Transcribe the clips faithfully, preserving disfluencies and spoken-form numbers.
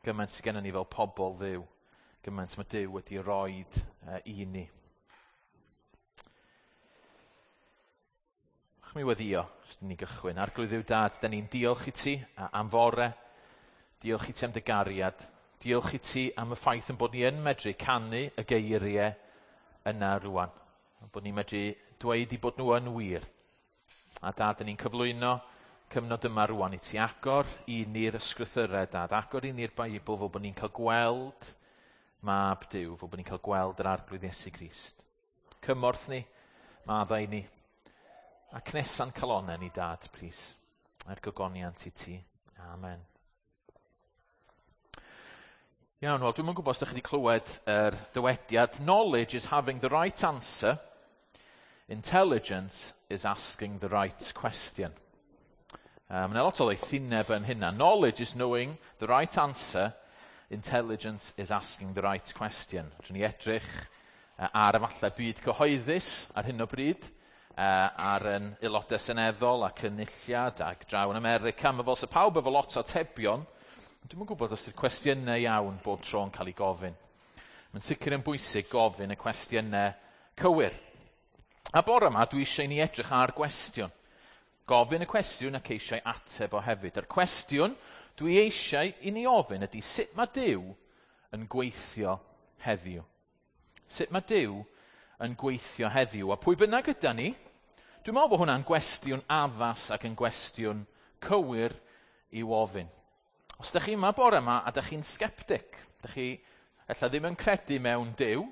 Gymaint sydd gennym ni fel pobl Dduw. Gymaint mae Duw wedi roed uh, i ni. Ch mi weddio, os ni gychwyn. Arglwydd Dduw Dad, da ni'n diolch i ti am fore. Diolch i ti am dy gariad. Diolch i ti am y ffaith yn bod ni yn medru canu y geiriau yna rwan. Bod ni'n medru dweud i bod nhw yn wir. A Dad, da ni'n cyflwyno cyfnod yma rwan i ti agor i ni'r ysgrythyrau, Dad. Agor i ni'r Beibl fel bod ni'n cael gweld Mab Duw, fel bod ni'n cael gweld yr Arglwydd Iesu Grist. Cymorth ni, maddau ni, a cnesa'n calonau ni, Dad, plis. Er gogoniant i ti. Amen. Iawn, wel, dwi'm yn gwybod os ydych chi wedi clywed yr dywediad, knowledge is having the right answer, intelligence is asking the right question. Um, Mae yna lot o ddoethineb yn hynna. Knowledge is knowing the right answer, intelligence is asking the right question. Rydyn ni edrych uh, ar efallai byd cyhoeddus ar hyn o bryd, uh, ar yn aelodau seneddol a cynulliad ac draw yn America. Mae fel sa pawb efo lot o atebion. Dwi'm yn gwybod os ydy'r cwestiynau iawn bob tro yn cael ei gofyn. Mae'n sicr yn bwysig gofyn y cwestiynau cywir. A bore yma dwi eisiau i ni edrych ar gwestiwn. Gofyn y cwestiwn ac eisiau ateb o hefyd. Yr cwestiwn dwi eisiau i ni ofyn ydy sut mae Duw yn gweithio heddiw. Sut mae Duw yn gweithio heddiw? A pwy bynnag yda ni, dwi'n meddwl bod hwnna'n gwestiwn addas ac yn gwestiwn cywir i'w ofyn. Os ydych chi yma bore yma a ydych chi'n sceptic, ydych chi ella ddim yn credu mewn Duw,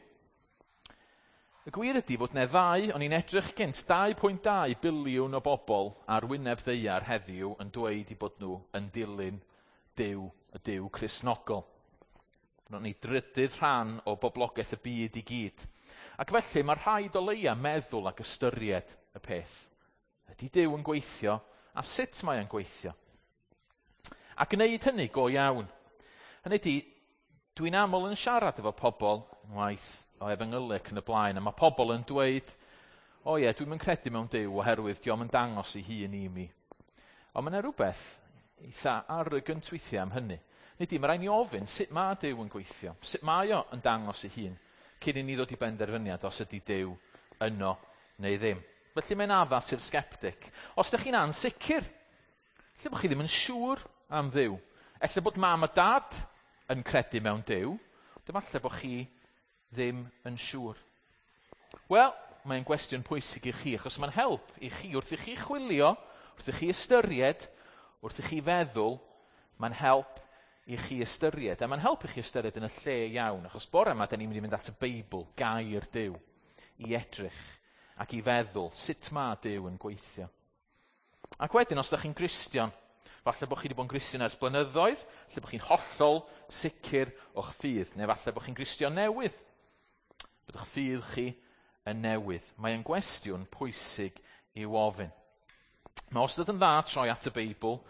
y gwir ydy bod yna ddau, o'n i'n edrych gynt, dau pwynt dau biliwn o bobl ar wyneb ddaear heddiw yn dweud i bod nhw yn dilyn Duw, y Duw Cristnogol. Bod ni drydydd rhan o boblogaeth y byd i gyd. Ac felly mae rhaid o leia meddwl ac ystyried y peth. Ydy Duw yn gweithio a sut mae o'n gweithio? A gwneud hynny go iawn. Hynny ydy, dwi'n aml yn siarad efo pobl, waith o efengylu ac yn y blaen, a mae pobl yn dweud, o ie, dwi'm yn credu mewn Duw oherwydd dio'm yn dangos ei hun i mi. Ond mae yna rhywbeth eitha arrogant weithiau am hynny. Nid i, mae rhaid ni ofyn sut mae Duw yn gweithio, sut mae o yn dangos ei hun, cyn i ni ddod i benderfyniad os ydy Duw yno neu ddim. Felly mae'n addas i'r sceptic. Os ydych chi'n ansicr, lle bod chi ddim yn siŵr am Dduw. Ella bod mam a dad yn credu mewn Duw, ond efallai bod chi ddim yn siŵr. Wel, mae'n gwestiwn pwysig i chi, achos mae'n help i chi wrth i chi chwilio, wrth i chi ystyried, wrth i chi feddwl, mae'n help i chi ystyried. A mae'n help i chi ystyried yn y lle iawn, achos bore yma, da ni'n mynd i fynd at y Beibl, gair Duw, i edrych ac i feddwl sut mae Duw yn gweithio. Ac wedyn, os ydych chi'n Gristion, falle bod chi wedi bod yn Gristion ers blynyddoedd, falle bod chi'n hollol sicr o'ch ffydd, neu falle bod chi'n Gristion newydd, bod eich ffydd chi yn newydd. Mae yn gwestiwn pwysig i'w ofyn. Mae wastad yn dda troi at y Beibl,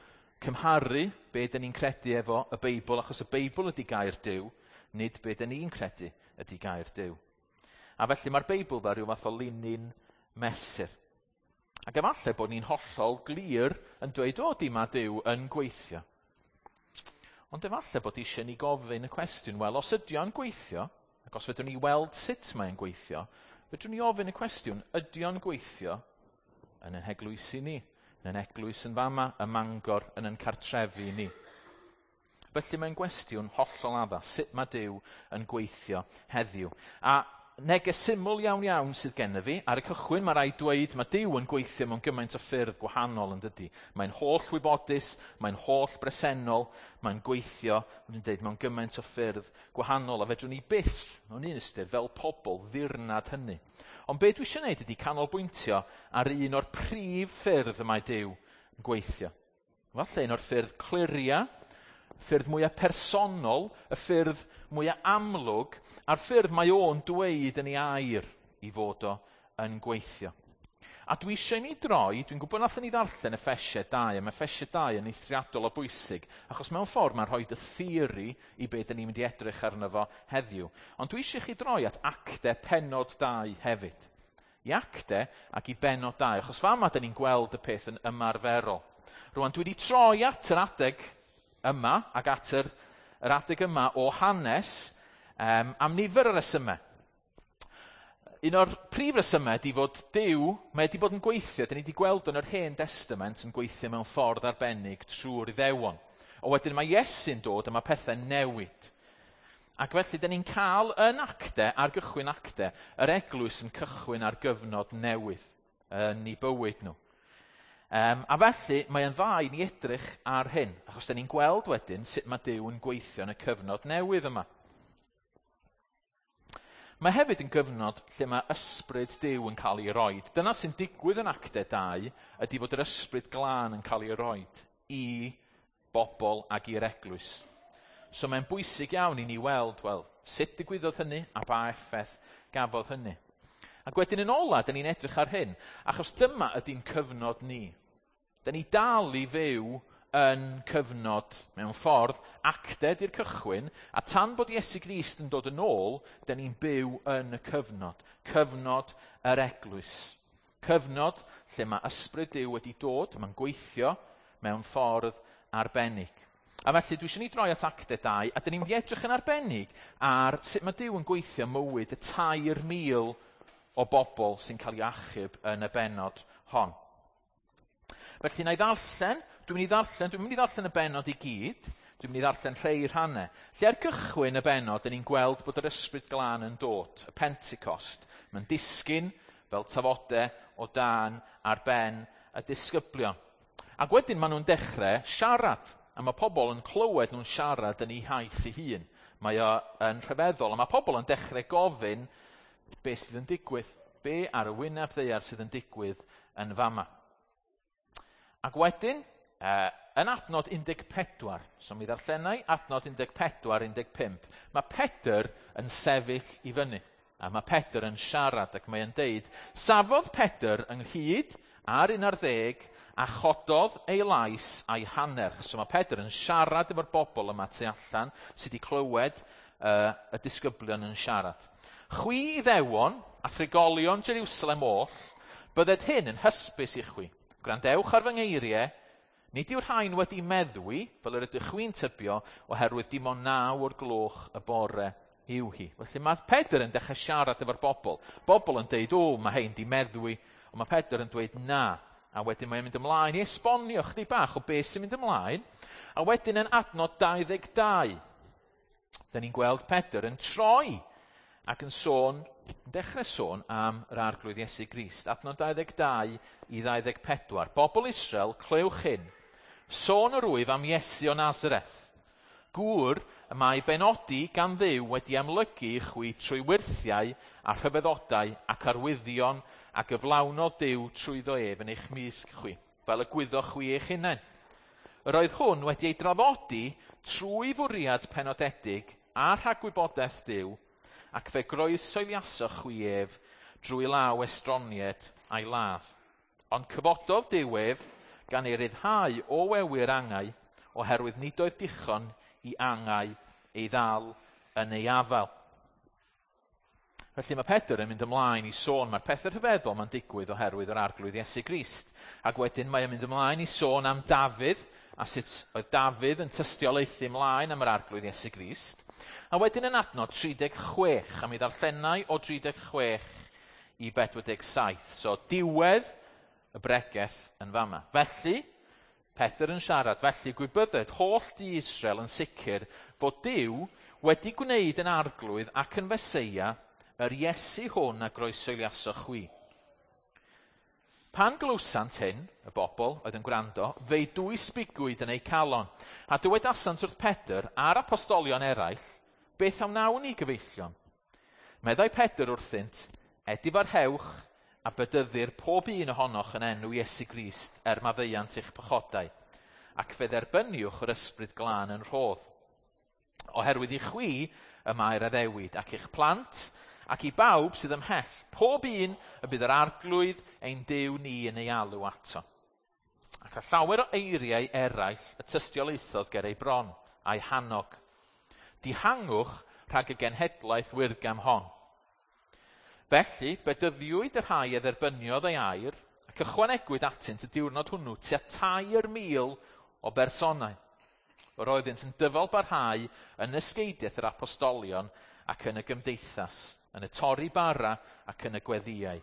cymharu be dyn ni'n credu efo y Beibl, achos y Beibl ydy gair Duw, nid be dyn ni'n credu ydy gair Duw. A felly mae'r Beibl fel rhyw fath o linyn mesur. Ac efallai bod ni'n hollol glir yn dweud, o, di mae Duw yn gweithio. Ond efallai bod eisiau ni gofyn y cwestiwn, wel, os ydy o'n gweithio, ac os fedrwn ni weld sut mae'n gweithio, fedrwn ni ofyn y cwestiwn, ydy o'n gweithio yn ein heglwysi ni, yn ein eglwys yn fama, ym Mangor, yn ein cartrefi ni. Felly mae'n gwestiwn hollol addas, sut mae Duw yn gweithio heddiw. A neges syml iawn iawn sydd gennyf fi. Ar y cychwyn mae rhaid dweud mae Duw yn gweithio mewn gymaint o ffyrdd gwahanol yn dydy. Mae'n holl wybodus, mae'n holl bresennol, mae'n gweithio, mae'n dweud, mewn gymaint o ffyrdd gwahanol. A fedrwn ni byth, mewn un ystyr, fel pobl ddirnad hynny. Ond be dwi eisiau gwneud ydy canolbwyntio ar un o'r prif ffyrdd y mae Duw yn gweithio. Falle un o'r ffyrdd cliria, ffyrdd mwyaf personol, y ffyrdd mwyaf amlwg, a'r ffyrdd mae o'n dweud yn ei air i fod o yn gweithio. A dwi eisiau ni droi, dwi'n gwybod nathon ni ddarllen Effesiau dau, a mae Effesiau dau yn eithriadol o bwysig, achos mewn ffordd mae'n rhoi y theori i be dyn ni'n mynd i edrych arno fo heddiw. Ond dwi eisiau chi droi at Actau pennod dau hefyd. I Actau ac i bennod dau, achos fama dyn ni'n gweld y peth yn ymarferol. Rwan, dwi wedi troi at yr adeg yma ac at yr yr adeg yma o hanes um, am nifer o resymau. Un o'r prif resymau ydy fod Duw, mae wedi bod yn gweithio, dyn ni wedi gweld yn yr Hen Testament yn gweithio mewn ffordd arbennig trwy'r Iddewon. O wedyn mae Iesu'n dod a mae pethau'n newid. Ac felly, dyn ni'n cael yn Actau, ar gychwyn Actau, yr eglwys yn cychwyn ar gyfnod newydd yn ei bywyd nhw. Um, a felly, mae'n dda i ni edrych ar hyn, achos dyn ni'n gweld wedyn sut mae Duw yn gweithio yn y cyfnod newydd yma. Mae hefyd yn gyfnod lle mae ysbryd Duw yn cael ei roed. Dyna sy'n digwydd yn Actau dau, ydy fod yr Ysbryd Glân yn cael ei roed i bobl ac i'r eglwys. So mae'n bwysig iawn i ni weld, wel, sut digwyddodd hynny a ba effaith gafodd hynny. Ac wedyn yn ola, dyn ni'n edrych ar hyn, achos dyma ydy'n cyfnod ni. Dyn ni dal i fyw yn cyfnod, mewn ffordd, Actau di'r cychwyn, a tan bod Iesu Grist yn dod yn ôl, dyn ni'n byw yn y cyfnod. Cyfnod yr eglwys. Cyfnod lle mae ysbryd Duw wedi dod, mae'n gweithio mewn ffordd arbennig. A felly dwi eisiau ni droi at Actau dau, a dyn ni'n mynd i edrych yn arbennig ar sut mae Duw yn gweithio mywyd y tair mil o bobl sy'n cael ei achub yn y bennod hon. Felly, na i ddarllen, dwi'n mynd i ddarllen, dwi'n mynd i ddarllen y bennod i gyd, dwi'n mynd i ddarllen rhai rhannau. Lle ar gychwyn y bennod, dyn ni'n gweld bod yr Ysbryd Glân yn dod, y Pentecost. Mae'n disgyn fel tafodau o dan ar ben y disgyblion. Ac wedyn maen nhw'n dechrau siarad, a mae pobl yn clywed nhw'n siarad yn eu hiaith eu hun. Mae o yn rhyfeddol, a mae pobl yn dechrau gofyn be sydd yn digwydd, be ar y wyneb ddaear sydd yn digwydd yn fama. Ac wedyn, uh, yn adnod un deg pedwar, so mi ddarllenai adnod un deg pedwar, un deg pump, mae Pedr yn sefyll i fyny. A mae Pedr yn siarad ac mae'n deud, "Safodd Pedr ynghyd ar un ar ddeg a chododd ei lais a'i hannerch." So mae Pedr yn siarad efo'r bobl yma tu allan sydd wedi clywed uh, y disgyblion yn siarad. "Chwi Iddewon a thrigolion Jerusalem oll, bydded hyn yn hysbys i chwi. Gwrandewch ar fy ngeiriau, nid yw'r rhain wedi meddwi, fel yr ydych chwi'n tybio, oherwydd dim ond naw o'r gloch y bore yw hi." Felly mae Pedr yn dechrau siarad efo'r bobl. Bobl yn deud, "O, mae hein di meddwi." Ond mae Pedr yn dweud, "Na." A wedyn mae'n mynd ymlaen i esbonio chdi bach o beth sy'n mynd ymlaen. A wedyn yn adnod dau ddeg dau, da ni'n gweld Pedr yn troi ac yn sôn, yn dechrau sôn am yr Arglwydd Iesu Grist. Adnod dau ddeg dau i ddau ddeg pedwar. "Bobl Israel, clywch hyn. Sôn yr wyf am Iesu o Nazareth. Gŵr y mae benodi gan Dduw wedi amlygu i chwi trwy wyrthiau a rhyfeddodau ac arwyddion a gyflawnodd Duw trwyddo ef yn eich mysg chwi, fel y gwyddoch chwi eich hunain. Yr oedd hwn wedi ei draddodi trwy fwriad penodedig a rhagwybodaeth Duw, ac fe groeshoeliasoch chwi ef drwy law estronied a'i ladd. Ond cyfododd Duw ef gan ei ryddhau o wewyr angau, oherwydd nid oedd dichon i angau ei ddal yn ei afael." Felly mae Pedr yn mynd ymlaen i sôn, mae'r pethau rhyfeddol mae'n digwydd oherwydd yr Arglwydd Iesu Grist. Ac wedyn mae'n mynd ymlaen i sôn am Dafydd, a sut oedd Dafydd yn tystiolaethu ymlaen am yr Arglwydd Iesu Grist. A wedyn yn adnod tri deg chwech, a mi ddarllenai o tri deg chwech i pedwar deg saith. So diwedd y bregeth yn fama. "Felly, Pedr yn siarad, felly gwybydded holl dŷ Israel yn sicr fod Duw wedi gwneud yn Arglwydd ac yn Feseia yr Iesu hwn a groeshoeliasoch chwi." Pan glywsant hyn, y bobl oedd yn gwrando, fe'i dwysbigwyd yn eu calon, a dywedasant wrth Pedr a'r apostolion eraill, "Beth a wnawn ni, gyfeillion?" Meddai Pedr wrthynt, "Edifarhewch a bedyddir pob un ohonoch yn enw Iesu Grist er maddeuant eich pechodau, ac fe dderbyniwch yr Ysbryd Glân yn rhodd. Oherwydd i chwi y mae'r addewid, ac i'ch plant, ac i bawb sydd ymhell, pob un y bydd yr Arglwydd ein Duw ni yn ei alw ato." Ac a llawer o eiriau eraill y tystiolaethodd ger ei bron, a'i hannog. "Dihangwch rhag y genhedlaeth wyrgam hon." Felly, bedyddiwyd y rhai a dderbyniodd ei air, ac ychwanegwyd atynt y diwrnod hwnnw tua tair mil o bersonau. Yr oeddynt yn dyfal barhau yn ysgeidiaeth yr apostolion ac yn y gymdeithas, yn y torri bara ac yn y gweddïau.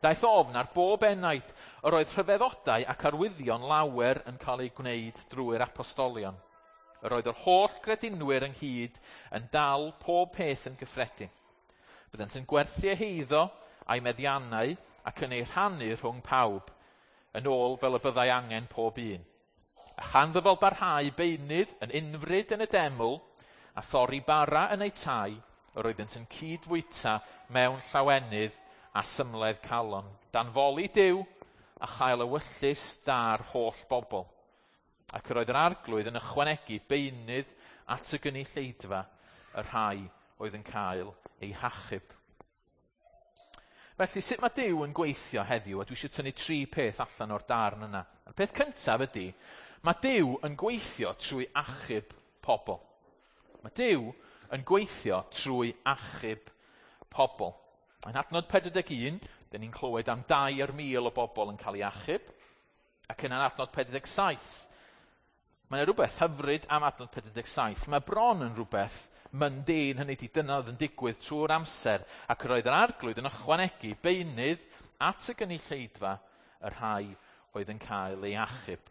Daeth ofn ar bob enaid, yr oedd rhyfeddodau ac arwyddion lawer yn cael eu gwneud drwy'r apostolion. Yr oedd yr holl gredinwyr ynghyd yn dal pob peth yn gyffredin. Byddent yn gwerthu eu heiddo a'i meddiannau ac yn eu rhannu rhwng pawb, yn ôl fel y byddai angen pob un. A chan ddyfal barhau beunydd yn unfryd yn y deml a thorri bara yn eu tai, yr oeddynt yn cydfwyta mewn llawenydd a symledd calon, dan foli Duw a chael ewyllys da'r holl bobl. Ac yr oedd yr arglwydd yn ychwanegu beunydd at y gynulleidfa y rhai oedd yn cael eu hachub. Felly, sut mae Duw yn gweithio heddiw? A dwi eisiau tynnu tri peth allan o'r darn yna. Y peth cyntaf ydy, mae Duw yn gweithio trwy achub pobl. Mae Duw yn gweithio trwy achub pobl. Yn adnod pedwar deg un, dyn ni'n clywed am dair mil o bobl yn cael ei achub. Ac yn adnod pedwar deg saith, mae yna rhywbeth hyfryd am adnod pedwar deg saith. Mae bron yn rhywbeth mundane, hynny ydi dyna oedd yn digwydd trwy'r amser, ac yr oedd yr arglwydd yn ychwanegu beunydd at y gynulleidfa y rhai oedd yn cael ei achub.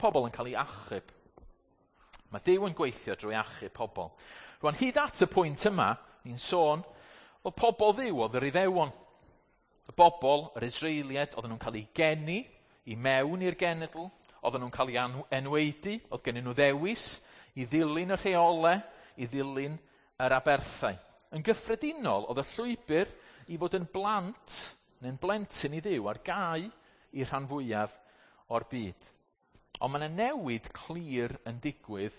Pobl yn cael ei achub. Mae Duw yn gweithio drwy achub pobl. Rwan, hyd at y pwynt yma, ni'n sôn, o pobl Dduw oedd yr Iddewon. Y bobl, yr Israeliaid, oedden nhw'n cael eu geni i mewn i'r genedl, oedden nhw'n cael eu enwaedu, oedd gennyn nhw ddewis i ddilyn y rheolau, i ddilyn yr aberthau. Yn gyffredinol, oedd y llwybr i fod yn blant neu'n blentyn i Dduw ar gau i'r rhan fwyaf o'r byd. Ond mae yna newid clir yn digwydd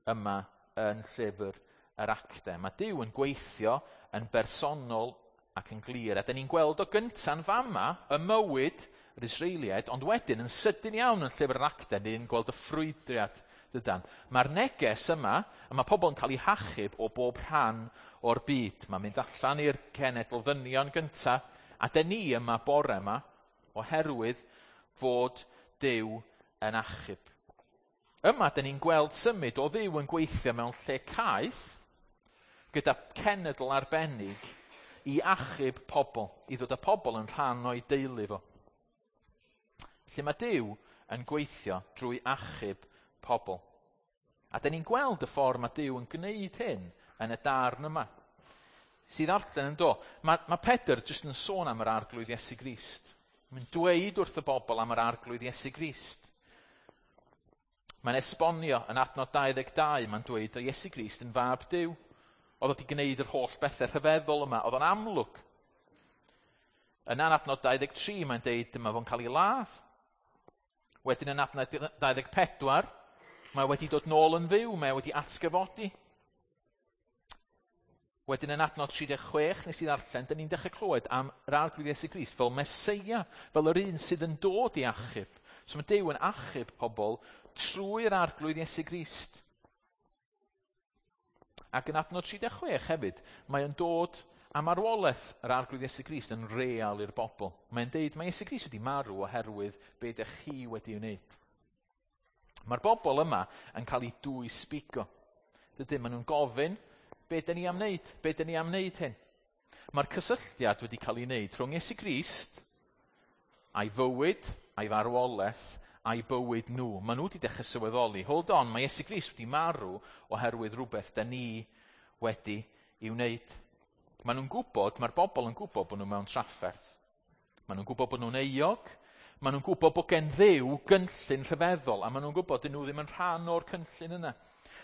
yma yn llyfr yr Actau. Mae Duw yn gweithio yn bersonol ac yn glir. A dyn ni'n gweld o gynta'n fama y mywyd yr Israeliaid, ond wedyn yn sydyn iawn yn llyfr yr Actau, ni'n gweld y ffrwydriad. Dydan. Mae'r neges yma, a mae pobl yn cael eu hachub o bob rhan o'r byd. Mae'n mynd allan i'r cenedl ddynion gynta, a dyn ni yma bore yma, oherwydd fod Duw yn achub. Yma, dyn ni'n gweld symud o Dduw yn gweithio mewn lle caeth, gyda cenedl arbennig i achub pobl, i ddod â pobl yn rhan o'i deulu fo. Felly mae Duw yn gweithio drwy achub pobl. A dyn ni'n gweld y ffordd mae Duw yn gwneud hyn yn y darn yma. Sydd arllen yn do. Mae, mae Pedr jyst yn sôn am yr arglwydd Iesu Grist. Mae'n dweud wrth y bobl am yr arglwydd Iesu Grist. Mae'n esbonio yn adnod dau ddeg dau, mae'n dweud o Iesu Grist yn fab Duw. Oedd wedi gwneud yr holl bethau rhyfeddol yma, oedd o'n amlwg. Yna yn adnod dau ddeg tri, mae'n dweud dyma fo'n cael ei ladd. Wedyn yn adnod dau ddeg pedwar, mae wedi dod nôl yn fyw, mae wedi atgyfodi. Wedyn yn adnod tri deg chwech, nes i ddarllen, dyn ni'n dechrau clywed am yr arglwydd Iesu Grist fel Meseia, fel yr un sydd yn dod i achub. So mae Duw yn achub pobl trwy'r arglwydd Iesu Grist. Ac yn adnod tri deg chwech hefyd, mae yn dod am marwolaeth yr arglwydd Iesu Grist yn real i'r bobl. Mae'n deud, mae Iesu Grist wedi marw oherwydd be dych chi wedi wneud. Mae'r bobl yma yn cael eu dwysbigo. Dydyn, maen nhw'n gofyn, be dyn ni am wneud? Be dyn ni am wneud hyn? Mae'r cysylltiad wedi cael ei wneud rhwng Iesu Grist a'i fywyd, a'i farwolaeth, a'i bywyd nhw. Maen nhw wedi dechrau sylweddoli, hold on, mae Iesu Grist wedi marw oherwydd rhywbeth dyn ni wedi ei wneud. Maen nhw'n gwybod, mae'r bobl yn gwybod bod nhw mewn trafferth. Maen nhw'n gwybod bod nhw'n euog. Maen nhw'n gwybod bod gen Dduw gynllun rhyfeddol, a maen nhw'n gwybod dyn nhw ddim yn rhan o'r cynllun yna.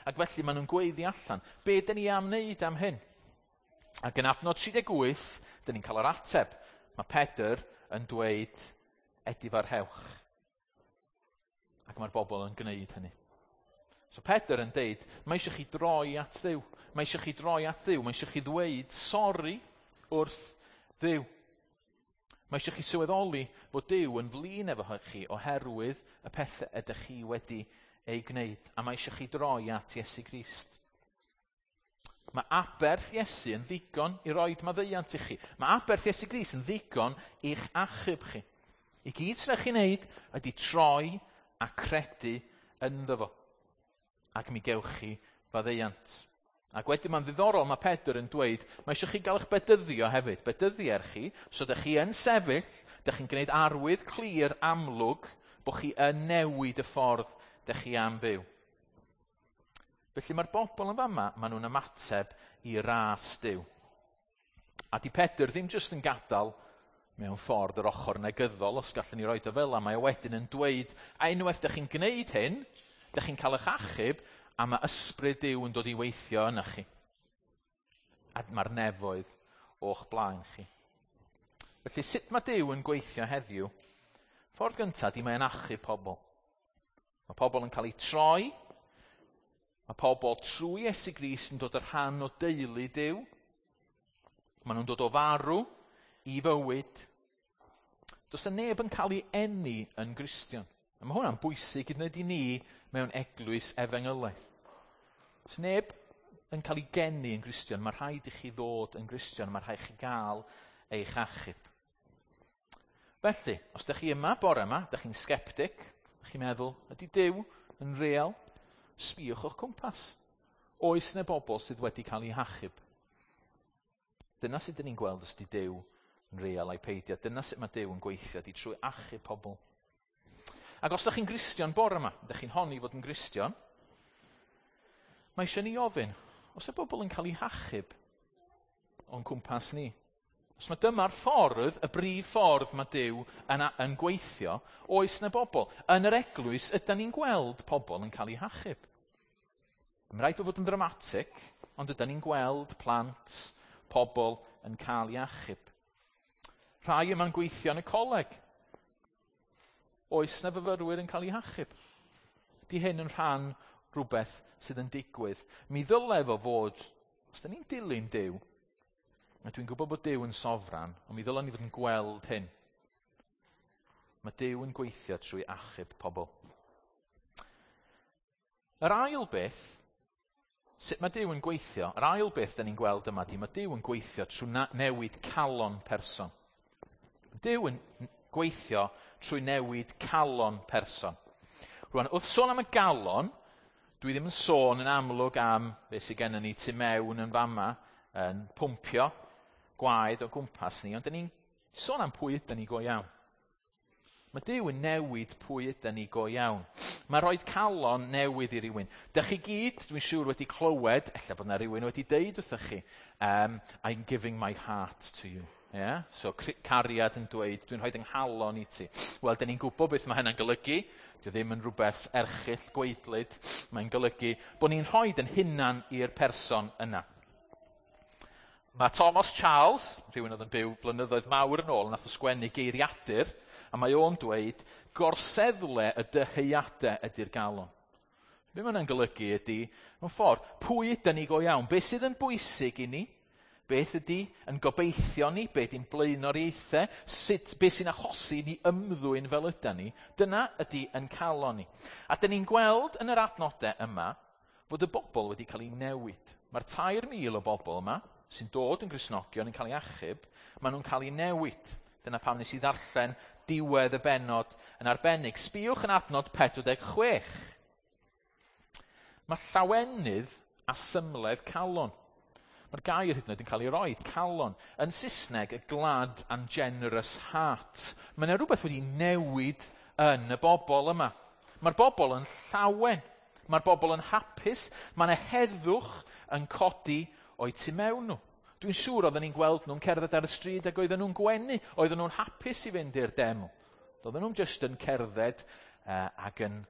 Ac felly maen nhw'n gweiddi allan, be dyn ni am wneud am hyn? Ac yn adnod tri deg wyth, dyn ni'n cael yr ateb. Mae Pedr yn dweud, edifarhewch. Ac mae'r bobl yn gwneud hynny. So Pedr yn deud, mae eisiau chi droi at Dduw. Mae eisiau chi droi at Dduw. Mae eisiau chi ddweud sori wrth Dduw. Mae eisiau chi sylweddoli fod Duw yn flin efo chi oherwydd y pethau ydych chi wedi ei gwneud. A mae eisiau chi droi at Iesu Grist. Mae aberth Iesu yn ddigon i roed maddeuant i chi. Mae aberth Iesu Grist yn ddigon i'ch achub chi. I gyd sy'n rhaid chi wneud ydy troi a credu ynddo fo. ac mi gewch chi faddeuant. Ac wedyn mae'n ddiddorol, mae Pedr yn dweud, mae eisiau chi gael eich bedyddio hefyd. Bedyddier chi, so dych chi yn sefyll, dych chi'n gwneud arwydd clir amlwg bod chi yn newid y ffordd dych chi am byw. Felly mae'r bobl yn fama, maen nhw'n ymateb i ras Duw. A di Pedr ddim jyst yn gadael mewn ffordd yr ochr negyddol, os gallwn ni roid o fel 'na, mae o wedyn yn dweud, a unwaith dych chi'n gwneud hyn, dych chi'n cael eich achub, a mae ysbryd Duw yn dod i weithio yna chi. A mae'r nefoedd o'ch blaen chi. Felly sut mae Duw yn gweithio heddiw? Ffordd gyntaf di mae'n achub pobl. Mae pobl yn cael eu troi. Mae pobl trwy Iesu Grist yn dod yn rhan o deulu Duw. Maen nhw'n dod o farw i fywyd. Does yna neb yn cael ei eni yn Gristion. A mae hwnna'n bwysig i wneud i ni mewn eglwys efengylaidd. Os neb yn cael ei geni yn Gristion, mae rhaid i chi ddod yn Gristion, mae rhaid i chi gael eich achub. Felly, os ydych chi yma bore yma, ydych chi'n sceptic, ydych chi'n meddwl, ydy Duw yn real? Sbïwch o'ch cwmpas. Oes yna bobl sydd wedi cael eu hachub? Dyna sut ydyn ni'n gweld os ydy Duw yn real ai peidio. Dyna sut mae Duw yn gweithio, ydy trwy achub pobl. Ac os ydych chi'n Gristion bore yma, ydych chi'n honni fod yn Gristion, mae eisiau ni ofyn, os y bobl yn cael eu hachub o'n cwmpas ni? Os mae dyma'r ffordd, y brif ffordd mae Duw yn, yn gweithio, oes na bobl? Yn yr eglwys, ydyn ni'n gweld pobl yn cael eu hachub? Mae'n rhaid fod yn ddramatig, ond ydyn ni'n gweld plant, pobl yn cael eu achub. Rhai yma'n gweithio yn y coleg. Oes na fyfyrwyr yn cael eu hachub? Di hyn yn rhan rhywbeth sydd yn digwydd? Mi ddyle fo fod, os da ni'n dilyn Duw, a dwi'n gwybod bod Duw yn sofran, ond mi ddylen ni fod yn gweld hyn. Mae Duw yn gweithio trwy achub pobl. Yr ail beth, sut mae Duw yn gweithio, yr ail beth da ni'n gweld yma di, mae Duw yn gweithio trwy newid calon person. Duw yn gweithio trwy newid calon person. Rwan, wrth sôn am y galon, dwi ddim yn sôn yn amlwg am beth sydd gennym ni tu mewn yn fama, yn pwmpio gwaed o gwmpas ni, ond dyn ni'n sôn am pwy ydyn ni go iawn. Mae Duw yn newid pwy ydyn ni go iawn. Mae rhoi calon newydd i rywun. Dych chi gyd, dwi'n siŵr, wedi clywed, ella bod yna rhywun wedi deud wrthych chi, um, "I'm giving my heart to you." Yeah? So cariad yn dweud, "Dwi'n rhoi 'nghalon i ti." Wel, dyn ni'n gwybod beth mae hynna'n golygu. Dio ddim yn rhywbeth erchyll, gwaedlyd. Mae'n golygu bod ni'n rhoi yn hunan i'r person yna. Mae Thomas Charles, rhywun oedd yn byw flynyddoedd mawr yn ôl, nath o sgwennu geiriadur, a mae o'n dweud, gorseddle y dyheuadau ydy'r galon. Be mae hwnna'n golygu ydy, mewn ffordd, pwy ydyn ni go iawn? Beth sydd yn bwysig i ni? Beth ydy yn gobeithio ni? Beth ydy'n blaenoriaethau? Sut, beth sy'n achosi ni ymddwyn fel ydyn ni? Dyna ydy yn calon ni. A dyn ni'n gweld yn yr adnodau yma fod y bobl wedi cael ei newid. Mae'r tair mil o bobl yma sy'n dod yn Gristnogion yn cael ei achub, maen nhw'n cael ei newid. Dyna pam nes i ddarllen diwedd y bennod yn arbennig. Sbïwch yn adnod pedwar deg chwech. Mae llawenydd a symledd calon. Mae'r gair hyd yn oed yn cael ei roi, calon. Yn Saesneg, a glad and generous heart. Mae yna rhywbeth wedi newid yn y bobl yma. Mae'r bobl yn llawen. Mae'r bobl yn hapus. Mae yna heddwch yn codi o'i tu mewn nhw. Dwi'n siŵr oedden ni'n gweld nhw'n cerdded ar y stryd ac oedden nhw'n gwenu. Oedden nhw'n hapus i fynd i'r deml. Oedden nhw'n just yn cerdded uh, ac yn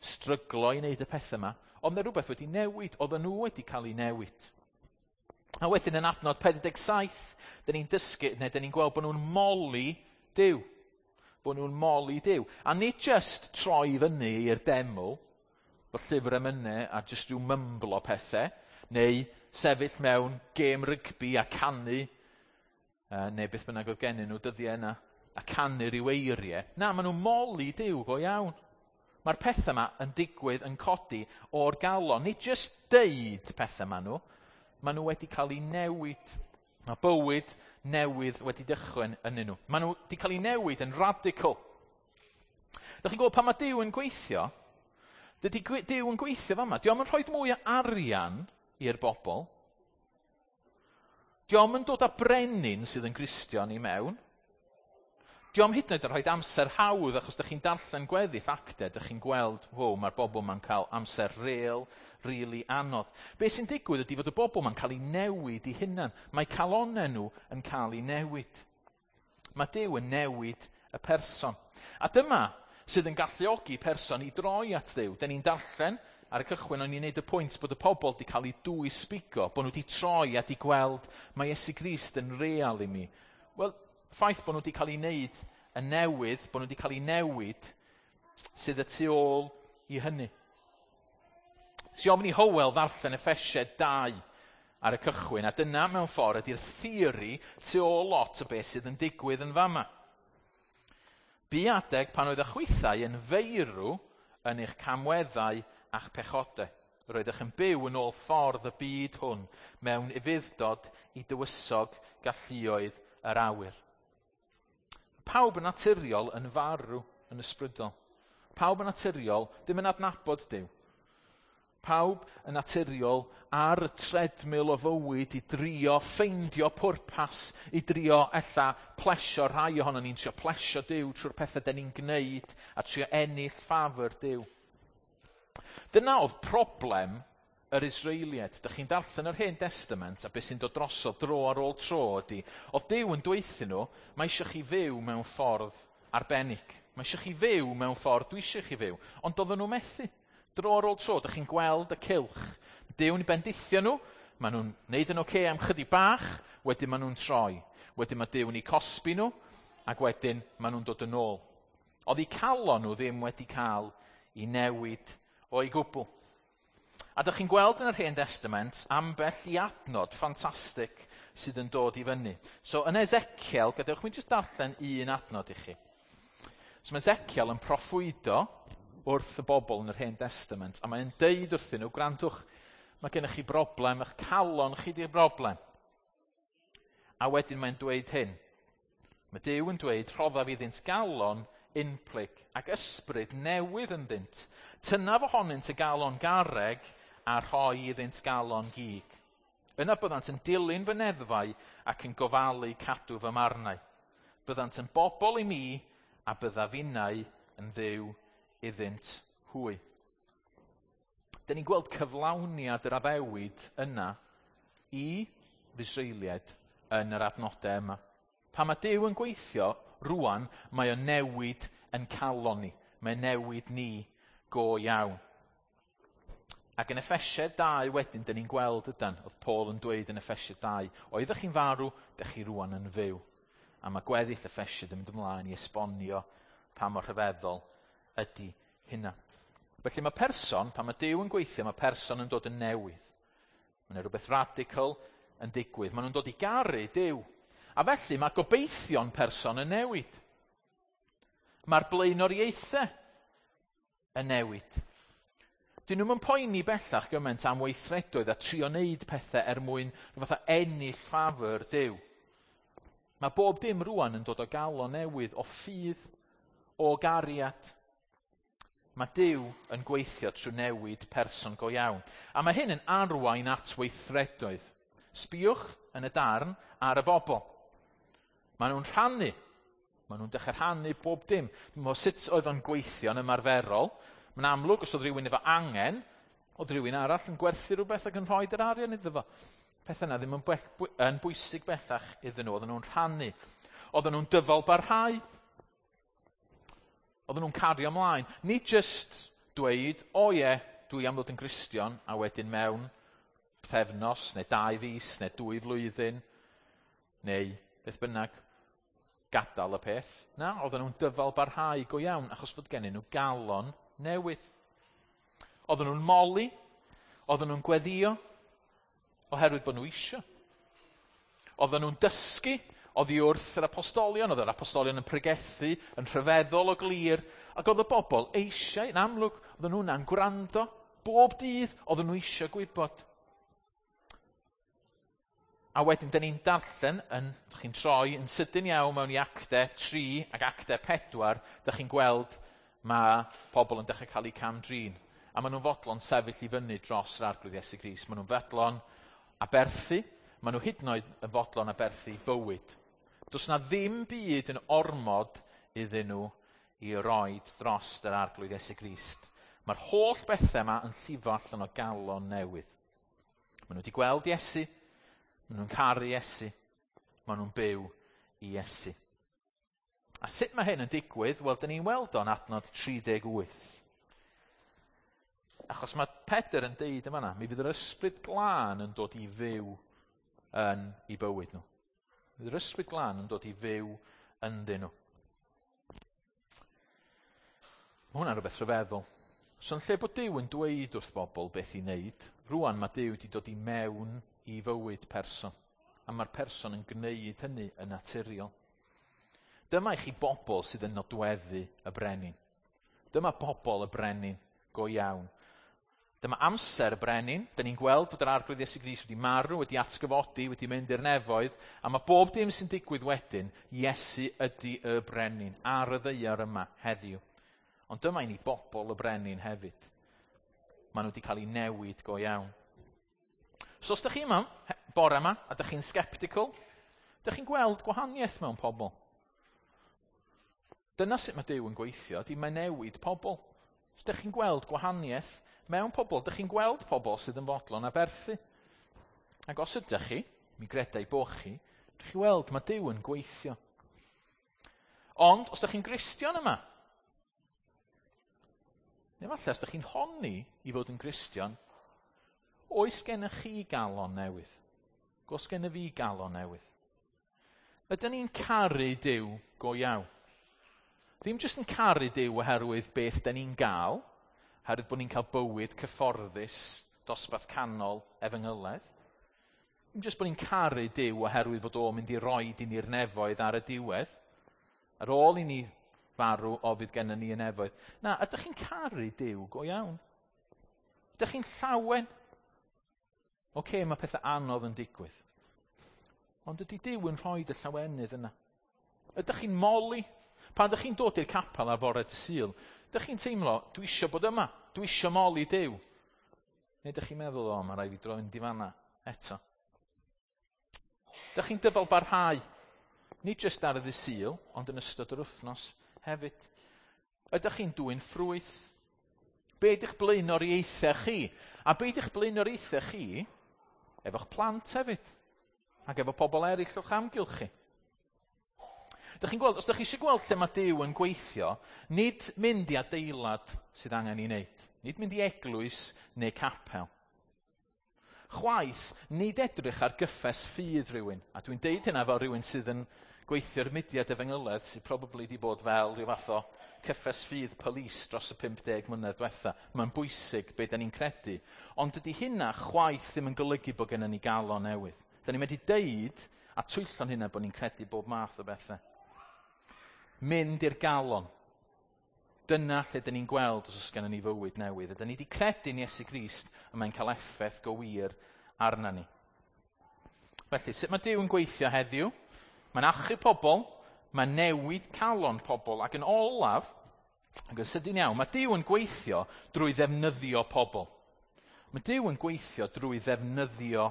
stryglo i wneud y pethau yma. Ond mae rhywbeth wedi newid. Oedden nhw wedi cael ei newid. A wedyn yn adnod pedwar deg saith, dyn ni'n dysgu, neu dyn ni'n gweld bod nhw'n moli Duw. Bod nhw'n moli Duw. A nid just troi fyny i'r deml, bod llyfr emynau a just rhyw mymblo pethau, neu sefyll mewn gêm rygbi a canu, uh, neu beth bynnag oedd gennyn nhw dyddiau yna, a canu rhyw eiriau. Na, maen nhw'n moli Duw go iawn. Mae'r pethau yma yn digwydd yn codi o'r galon. Nid just deud pethau yma nhw, maen nhw wedi cael eu newid. Mae bywyd newydd wedi dechrau ynddyn nhw. Maen nhw wedi cael eu newid yn radical. Dych chi'n gwybod pan mae Duw yn gweithio, Dydy Duw yn gweithio fama. Dio'm yn rhoi mwy o arian i'r bobl. Dio'm yn dod â brenin sydd yn Gristion i mewn. Dio'm hyd yn oed yn rhoi amser hawdd, achos ydych chi'n darllen gweddill actau, ydych chi'n gweld, wow, mae'r bobl ma'n cael amser real, really anodd. Be sy'n digwydd ydy fod y bobl ma'n cael ei newid i hunan. Mae calonau nhw yn cael ei newid. Mae Duw yn newid y person. A dyma sydd yn galluogi person i droi at Dduw. Da ni'n darllen ar y cychwyn, o'n i'n neud y pwynt bod y pobl wedi cael eu dwys bigo, bod nhw wedi troi a wedi gweld mae Iesu Grist yn real i mi. Wel, ffaith bod nhw wedi cael ei wneud yn newydd, bod nhw wedi cael ei newid, sydd y tu ôl i hynny. Si ofyn i Hywel ddarllen Effesiaid dau ar y cychwyn, a dyna mewn ffordd ydy'r theori tu ôl lot o beth sydd yn digwydd yn fama. Bu adeg pan oedd y chwithau yn feirw yn eich camweddau a'ch pechodau. Roeddech yn byw yn ôl ffordd y byd hwn mewn ufudd-dod i dywysog galluoedd yr awyr. Pawb yn naturiol yn farw yn ysbrydol. Pawb yn naturiol ddim yn adnabod Duw. Pawb yn naturiol ar y treadmill o fywyd i drio ffeindio pwrpas, i drio ella plesio rhai ohono ni'n trio plesio Duw trwy'r pethau den ni'n gwneud a trio ennill ffafr Duw. Dyna oedd problem yr Israeliaid. Dych chi'n darllen yr Hen Testament a beth sy'n dod drosodd dro ar ôl tro ydy, oedd Duw yn dweud nhw, mae eisiau chi fyw mewn ffordd arbennig. Mae eisiau chi fyw mewn ffordd dwi eisiau chi fyw. Ond doedden nhw methu. Dro ar ôl tro, dych chi'n gweld y cylch. Duw'n bendithio nhw, maen nhw'n neud yn oce am chydig bach, wedyn maen nhw'n troi. Wedyn mae Duw'n eu cosbi nhw, ac wedyn maen nhw'n dod yn ôl. Oedd eu calon nhw ddim wedi cael i newid o'i gwbl. A dych chi'n gweld yn yr Hen Testament ambell i adnod ffantastig sydd yn dod i fyny. So yn Ezekiel, gadewch mi jyst darllen un adnod i chi. So mae Ezekiel yn proffwydo wrth y bobl yn yr Hen Testament, a mae'n deud wrthyn nhw, gwrandwch, mae gennych chi broblem, eich calon chi di'r broblem. A wedyn mae'n dweud hyn. Mae Duw yn dweud, rhoddaf iddynt galon unplyg ac ysbryd newydd ynddynt. Tynnaf ohonynt y galon garreg a rhoi iddynt galon gig. Yna byddant yn dilyn fy neddfau ac yn gofalu cadw fy marnau. Byddant yn bobl i mi a byddaf innau yn Dduw iddynt hwy. Dyn ni'n gweld cyflawniad yr addewid yna i Israeliaid yn yr adnodau yma. Pan mae Duw yn gweithio, rwan, mae o'n newid yn calon ni. Mae'n newid ni go iawn. Ac yn Effesiaid dau wedyn, dyn ni'n gweld ydan, oedd Paul yn dweud yn Effesiaid dau, oeddech chi'n farw, dych chi rwan yn fyw. A mae gweddill Effesiaid yn mynd ymlaen i esbonio pa mor rhyfeddol ydy hynna. Felly mae person, pan mae Duw yn gweithio, mae person yn dod yn newydd. Mae yna rhywbeth radical yn digwydd. Maen nhw'n dod i garu Duw. A felly mae gobeithion person yn newid. Mae'r blaenoriaethau yn newid. Dyn nhw'n poeni bellach gymaint am weithredoedd a trio wneud pethau er mwyn rhyw fath o ennill ffafr Duw. Mae bob dim rwan yn dod o galon newydd, o ffydd, o gariad. Mae Duw yn gweithio trwy newid person go iawn. A mae hyn yn arwain at weithredoedd. Sbiwch yn y darn ar y bobl. Maen nhw'n rhannu. Maen nhw'n dechrau rhannu bob dim. Dwi'n meddwl sut oedd o'n gweithio yn ymarferol. Mae'n amlwg os oedd rhywun efo angen, oedd rhywun arall yn gwerthu rhywbeth ac yn rhoi yr arian iddo fo. Pethau yna ddim yn, bell, yn bwysig bellach iddyn nhw. Oedden nhw'n rhannu. Oedden nhw'n dyfal barhau. Oedden nhw'n cario ymlaen. Nid just dweud, o ie, dwi am ddod yn Gristion, a wedyn mewn pythefnos, neu dau fis, neu dwy flwyddyn, neu beth bynnag, gadael y peth. Na, oedden nhw'n dyfal barhau go iawn, achos fod gennyn nhw galon newydd. Oedden nhw'n moli, oedden nhw'n gweddio, oherwydd bod nhw isio. Oedden nhw'n dysgu oddi wrth yr apostolion, oedd yr apostolion yn pregethu, yn rhyfeddol o glir, ac oedd y bobl eisiau, yn amlwg, oedden nhw'n gwrando, bob dydd, oedden nhw eisiau gwybod. A wedyn, dyn ni'n darllen, yn, dych chi'n troi yn sydyn iawn mewn i actau tri ac actau pedwar, dych chi'n gweld mae pobl yn dechrau cael eu cam-drin. A maen nhw'n fodlon sefyll i fyny dros yr Arglwydd Iesu Grist. Maen nhw'n fodlon aberthu, maen nhw hyd yn oed yn fodlon aberthu bywyd. Does na ddim byd yn ormod iddyn nhw i roed dros yr Arglwydd Iesu Grist. Mae'r holl bethau yma yn llifo allan o galon newydd. Maen nhw wedi gweld Iesu, maen nhw'n caru Iesu, maen nhw'n byw i Iesu. A sut mae hyn yn digwydd? Wel, dyn ni'n weld o'n adnod tri deg wyth. Achos mae Pedr yn deud yma na, mi fydd yr Ysbryd Glân yn dod i fyw yn eu bywyd nhw. Fydd yr Ysbryd Glân yn dod i fyw ynddyn nhw. Mae hwnna'n rhywbeth rhyfeddol. So yn lle bod Duw yn dweud wrth bobl beth i wneud, rwan mae Duw wedi dod i mewn i fywyd person. A mae'r person yn gwneud hynny yn naturiol. Dyma i chi bobl sydd yn nodweddu y brenin. Dyma bobl y brenin go iawn. Dyma amser y brenin. Dyn ni'n gweld bod yr Arglwydd Iesu Grist wedi marw, wedi atgyfodi, wedi mynd i'r nefoedd, a mae bob dim sy'n digwydd wedyn, Iesu ydy y brenin ar y ddaear yma heddiw. Ond dyma i ni bobl y brenin hefyd. Maen nhw wedi cael eu newid go iawn. So os ydych chi yma, bore yma, a ydych chi'n sceptical, ydych chi'n gweld gwahaniaeth mewn pobl. Dyna sut mae Duw yn gweithio, di mae newid pobl. Os ydych chi'n gweld gwahaniaeth mewn pobl, ydych chi'n gweld pobl sydd yn fodlon aberthu. Ac os ydych chi, mi gredai bo chi, ydych chi weld mae Duw yn gweithio. Ond, os ydych chi'n Gristion yma, neu falle os ydych chi'n honni i fod yn Gristion, oes gennych chi galon newydd? Oes gennych fi galon newydd? Ydyn ni'n caru Duw go iawn? Ddim jyst yn caru Duw oherwydd beth dyn ni'n gael, oherwydd bod ni'n cael bywyd cyfforddus, dosbarth canol, efengyledd. Ddim jyst bod ni'n caru Duw oherwydd fod o'n mynd i roed i ni'r nefoedd ar y diwedd. Ar ôl i ni farw, o fydd gennym ni y nefoedd. Na, ydych chi'n caru Duw go iawn? Ydych chi'n llawen? Oce, mae pethau anodd yn digwydd. Ond ydy Duw yn rhoi y llawenydd yna? Ydych chi'n moli? Pan ydych chi'n dod i'r capel ar fore Sul, ydych chi'n teimlo, dwi isio bod yma, dwi isio moli Duw. Neu ydych chi'n meddwl, o, mae rhaid fi droi mynd i fanna eto. Ydych chi'n dyfal barhau, nid jyst ar y ddydd Sul, ond yn ystod yr wythnos hefyd. Ydych chi'n dwyn ffrwyth? Be ydych blaenoriaethau chi? A be ydych blaenoriaethau chi efo'ch plant hefyd, ac efo pobl eraill o'ch amgylch chi. Dych chi'n gweld, os ydych chi eisiau gweld lle mae Duw yn gweithio, nid mynd i adeilad sydd angen ei wneud, nid mynd i eglwys neu capel. Chwaith, nid edrych ar gyffes ffydd rhywun, a dwi'n deud hynna fel rhywun sydd yn gweithio'r mudiad efengyledd sydd probably wedi bod fel rhyw fath o cyffes ffydd police dros y pump deg mlynedd diwetha. Mae'n bwysig be da ni'n credu. Ond dydy hynna chwaith ddim yn golygu bod gennym ni galon newydd. Da ni'n medru deud a twyllo'n hynna bod ni'n credu bob math o bethau. Mynd i'r galon. Dyna lle dyn ni'n gweld os oes gennym ni fywyd newydd. Ydyn ni wedi credu yn Iesu Grist a mae'n cael effaith go wir arna ni. Felly, sut mae Duw yn gweithio heddiw? Mae'n achub pobl, mae'n newid calon pobl, ac yn olaf, ac yn sydyn iawn, mae Duw yn gweithio drwy ddefnyddio pobl. Mae Duw yn gweithio drwy ddefnyddio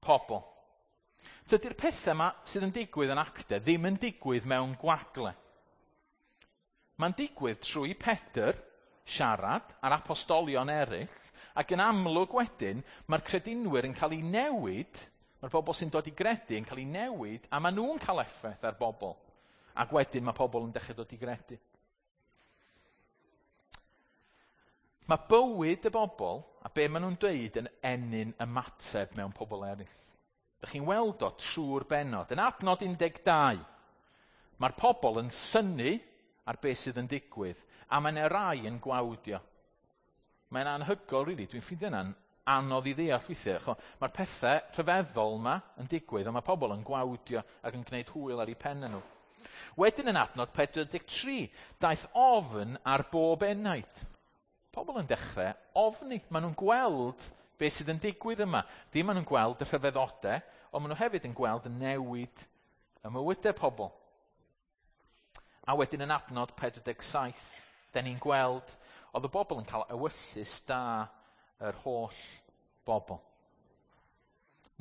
pobl. Tydi'r pethau yma sydd yn digwydd yn actau ddim yn digwydd mewn gwagle. Mae'n digwydd trwy Pedr siarad a'r apostolion eraill, ac yn amlwg wedyn mae'r credinwyr yn cael eu newid. Mae'r bobl sy'n dod i gredu yn cael eu newid, a maen nhw'n cael effaith ar bobl. Ac wedyn mae pobl yn dechrau dod i gredu. Mae bywyd y bobl, a be maen nhw'n dweud, yn ennyn ymateb mewn pobl eraill. Dych chi'n weld o trwy'r bennod. Yn adnod un deg dau, mae'r pobl yn synnu ar beth sydd yn digwydd, a mae'n rai yn gwawdio. Mae'n anhygoel, really. Dwi'n ffeindio hynna'n anodd i ddeall weithiau. Mae'r pethau rhyfeddol yma yn digwydd, ond mae pobl yn gwawdio ac yn gwneud hwyl ar eu pennau nhw. Wedyn yn adnod pedwar deg tri, daeth ofn ar bob enaid. Pobl yn dechrau ofni. Maen nhw'n gweld beth sydd yn digwydd yma. Dim maen nhw'n gweld y rhyfeddodau, ond maen nhw hefyd yn gweld y newid y mywydau pobl. A wedyn yn adnod pedwar deg saith, den ni'n gweld Oedd y bobl yn cael ewyllys da yr holl bobl.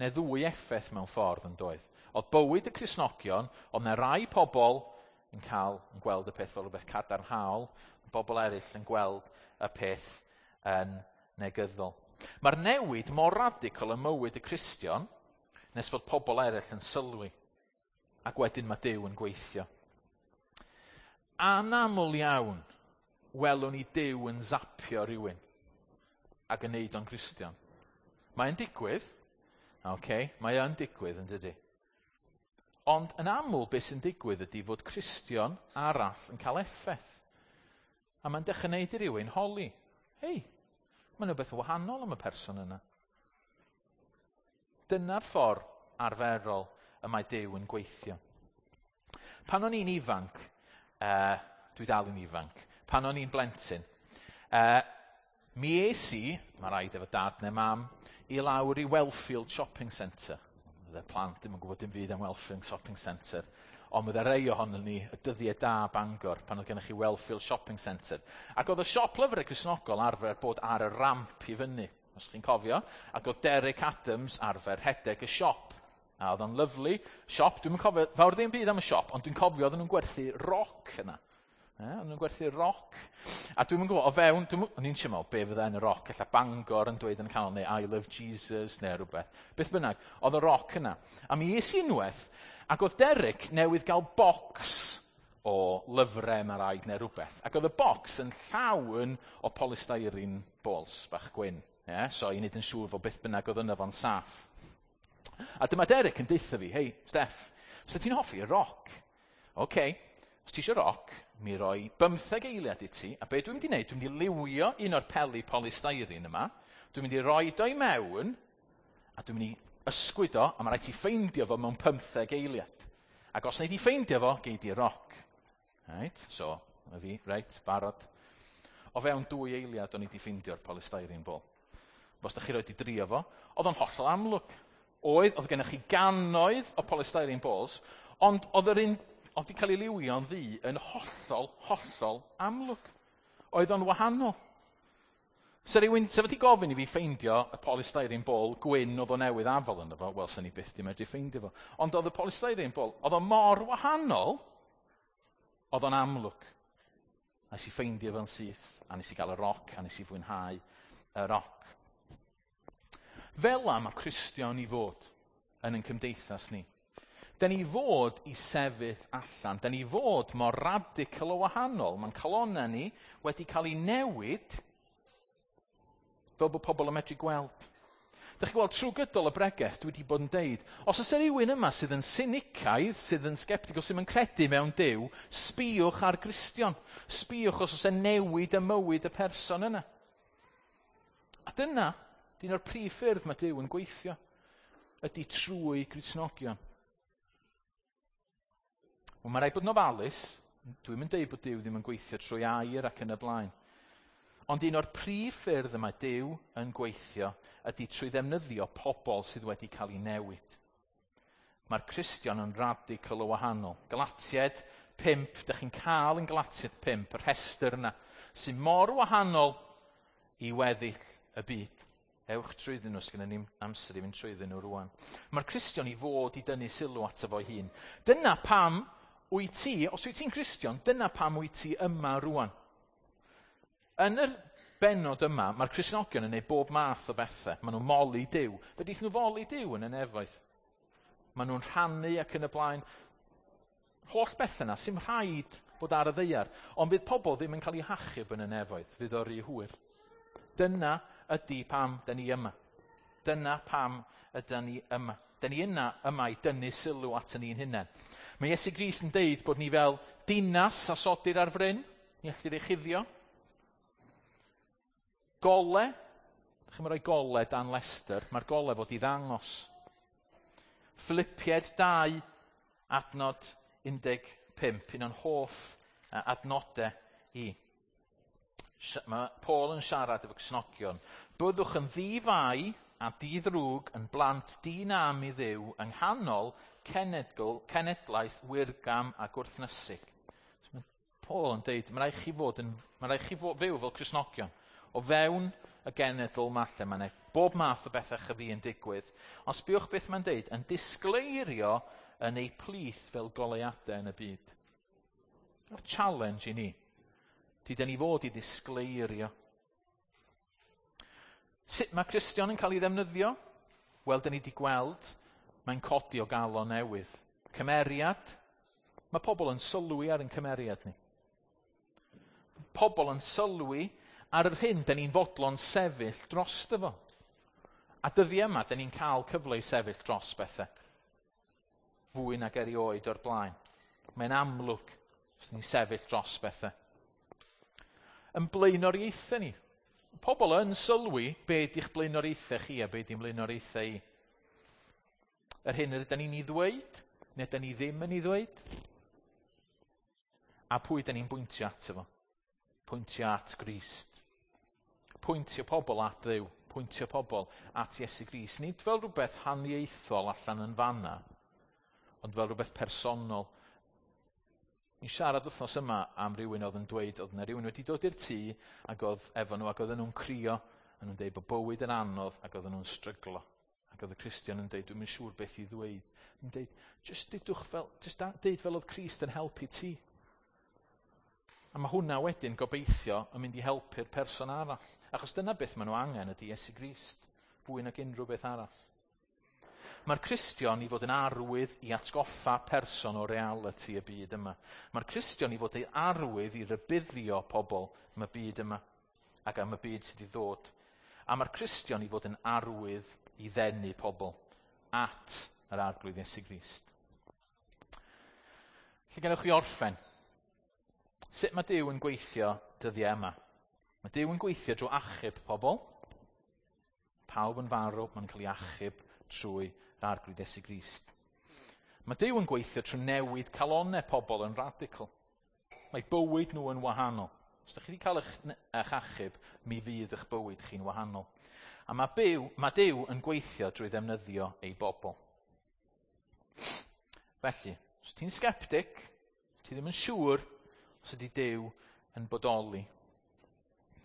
Neu ddwy effaith mewn ffordd yn doedd. Oedd bywyd y Cristnogion, oedd 'na rai pobl yn cael yn gweld y peth fel rhywbeth cadarnhaol, bobl eraill yn gweld y peth yn negyddol. Mae'r newid mor radical ym mywyd y Cristion nes fod pobl eraill yn sylwi. Ac wedyn mae Duw yn gweithio. Anaml iawn welwn ni Duw yn zapio rhywun ac yn neud o'n Cristion. Mae'n digwydd, okay, mae yn digwydd yn dydy. Ond yn aml beth sy'n digwydd ydy fod Cristion arall yn cael effaith. A mae'n dechrau neud i rywun holi. Hei, mae'n rhywbeth wahanol am y person yna. Dyna'r ffordd arferol y mae Duw yn gweithio. Pan o'n i'n ifanc, uh, dwi dal yn ifanc, pan o'n i'n blentyn, uh, mi es i, mae rhaid efo dad neu mam, i lawr i Wellfield Shopping Centre. Oedd y plant ddim yn gwybod dim byd am Wellfield Shopping Centre. Ond oedd rei ohonon ni y dyddiau da Bangor pan oedd gennych chi Wellfield Shopping Centre. Ac oedd y siop lyfrau Cristnogol arfer bod ar y ramp i fyny, os chi'n cofio. Ac oedd Derek Adams arfer rhedeg y siop. A oedd o'n lyfli. Siop, dwi'm yn cofio fawr ddim byd am y siop, ond dwi'n cofio oedden nhw'n gwerthu roc yna. E, oedden nhw'n gwerthu roc. A dwi'm yn gwybod, o fewn, dwi'm, o'n i'n teimlo, be fydda yn y roc, ella Bangor yn dweud yn y canol, neu I love Jesus, neu rhywbeth. Beth bynnag, oedd y roc yna. A mi es i unwaith, ac oedd Derek newydd gael bocs o lyfrau mae rhaid neu rhywbeth. Ac oedd y bocs yn llawn o polystyrene balls bach gwyn. Yeah? So i wneud yn siŵr fod beth bynnag oedd yna fo'n saff. A dyma Derek yn deutha fi, "Hei, Steff, os ti'n hoffi y roc?" "Oce, okay, os ti eisiau roc, mi roi bymtheg eiliad i ti, a be dwi'n mynd i wneud, dwi'n mynd i liwio un o'r peli polystyrene yma, dwi'n mynd i roi o i mewn, a dwi'n mynd i ysgwyd o, a mae rhaid ti ffeindio fo mewn pymtheg eiliad. Ac os wnei di ffeindio fo, gei di roc." Right, so, na fi, reit, barod. O fewn dwy eiliad o'n i di ffeindio'r polystyrene ball. Os da chi roed i drio fo, oedd o'n hollol amlwg. Oedd, oedd gennych chi gannoedd o polystyrene balls, ond oedd yr un, oedd di cael ei liwio'n ddu yn hollol, hollol amlwg. Oedd o'n wahanol. Se rhywun, se fod i gofyn i fi ffeindio y polystyrene ball gwyn oedd o newydd afel yno fo, wel, sen i byth di medru ffeindio fo. Ond oedd y polystyrene ball, oedd o mor wahanol, oedd o'n amlwg. A nes i ffeindio fo'n syth, a nes i gael y roc, a nes i fwynhau y roc. Fel 'na mae Cristion i fod yn ein cymdeithas ni. Da ni fod i sefyll allan. Da ni fod mor radical o wahanol. Mae'n calonnau ni wedi cael ei newid fel bod pobl yn medru gweld. Dych chi'n gweld trwy gydol y bregeth dwi wedi bod yn deud, os oes rhywun yma sydd yn sinicaidd, sydd yn sceptical, sydd yn credu mewn Duw, sbïwch ar Gristion. Sbïwch os oes e newid y mywyd y person yna. A dyna, un o'r prif ffyrdd mae Duw yn gweithio, ydy trwy Gristnogion. Wel, mae rhaid bod yn ofalus. Dwi'm yn deud bod Duw ddim yn gweithio trwy air ac yn y blaen. Ond un o'r prif ffyrdd y mae Duw yn gweithio ydy trwy ddefnyddio pobl sydd wedi cael ei newid. Mae'r Cristion yn radical o wahanol. Galatiaid pump, dych chi'n cael yn Galatiaid pump, y rhestr yna, sy'n mor wahanol i weddill y byd. Ewch trwyddyn nhw, sgynnon ni'm amser i fynd trwyddyn nhw rwan. Mae'r Cristion i fod i dynnu sylw ato fo'i hun. Dyna pam wyt ti, os wyt ti'n Cristion, dyna pam wyt ti yma rwan. Yn yr bennod yma, mae'r Cristnogion yn gwneud bob math o bethau. Maen nhw'n moli Duw. Fe deith nhw foli Duw yn y nefoedd. Maen nhw'n rhannu ac yn y blaen. Holl bethau yna, sy'n rhaid bod ar y ddaear. Ond fydd pobl ddim yn cael eu hachub yn y nefoedd. Fydd o rhy hwyr. Dyna ydy pam da ni yma. Dyna pam ydy ni yma. Da ni yna yma i dynnu sylw at ni'n hunain. Mae Iesu Grist yn deud bod ni fel dinas a sodir ar fryn. Ni ellir ei chuddio. Gole. Chi'n rhoi gole dan lestr. Mae'r gole fod i ddangos. Philipiaid dau, adnod un deg pump. Un o'n hoff adnodau i. Mae Paul yn siarad efo Cristnogion. Byddwch yn ddi-fai a di-ddrwg yn blant di-nam i Dduw yng nghanol cenedl, cenedlaeth wirgam a gwrthnysig. So mae Paul yn deud, mae rhaid chi fod yn, mae rhaid chi fod, fyw fel Cristnogion. O fewn y genedl yma lle mae bob math o bethau chyfi yn digwydd. Ond sbiwch beth mae'n deud, yn disgleirio yn ei plith fel goleuadau yn y byd. Mae'r challenge i ni. Di dyn ni fod i ddisgleirio. Sut mae Cristion yn cael ei ddefnyddio? Wel, dyn ni wedi gweld, mae'n codi o galon newydd. Cymeriad. Mae pobl yn sylwi ar ein cymeriad ni. Pobl yn sylwi ar yr hyn dyn ni'n fodlon sefyll drosto fo. A dyddiau yma, dyn ni'n cael cyfle i sefyll dros bethau. Fwy nag erioed o'r blaen. Mae'n amlwg os ni'n sefyll dros bethau. Yn blaenoriaethau ni. Pobl yn sylwi be di'ch blaenoriaethau chi a be di'n blaenoriaethau i. Yr hyn ydyn ni'n ei ddweud, neu ydyn ni ddim yn ei ddweud. A pwy ydyn ni'n bwyntio ato fo? Pwyntio at Grist. Pwyntio pobl at Dduw. Pwyntio pobl at Iesu Grist. Nid fel rhywbeth haniaethol allan yn fanna, ond fel rhywbeth personol. Ni'n siarad wythnos yma am rywun oedd yn dweud, oedd yna rhywun wedi dod i'r tŷ ac oedd efo nhw ac oedden nhw'n crio, a nhw'n dweud bod bywyd yn anodd ac oedden nhw'n stryglo. Ac oedd y Cristion yn dweud, dwi'm yn siŵr beth i ddweud. Yn dweud, just dudwch fel, just deud fel oedd Crist yn helpu ti. A mae hwnna wedyn gobeithio yn mynd i helpu'r person arall. Achos dyna beth maen nhw angen ydy Iesu Grist, fwy nag unrhyw beth arall. Mae'r Cristion i fod yn arwydd i atgoffa person o reality y byd yma. Mae'r Cristion i fod yn arwydd i rybuddio pobl am y byd yma ac am y byd sydd i ddod. A mae'r Cristion i fod yn arwydd i ddenu pobl at yr Arglwydd Iesu Grist. Lle gennych chi orffen? Sut mae Duw yn gweithio dyddiau yma? Mae Duw yn gweithio drwy achub pobl. Pawb yn farw, mae'n cael ei achub trwy yr Arglwydd Iesu Grist. Mae Duw yn gweithio trwy newid calonnau pobl yn radical. Mae bywyd nhw yn wahanol. Os ydych chi wedi cael eich, eich achub, mi fydd eich bywyd chi'n wahanol. A mae, byw, mae Duw yn gweithio drwy ddefnyddio ei bobl. Felly, os ti'n sgeptig, ti ddim yn siŵr os ydy Duw yn bodoli,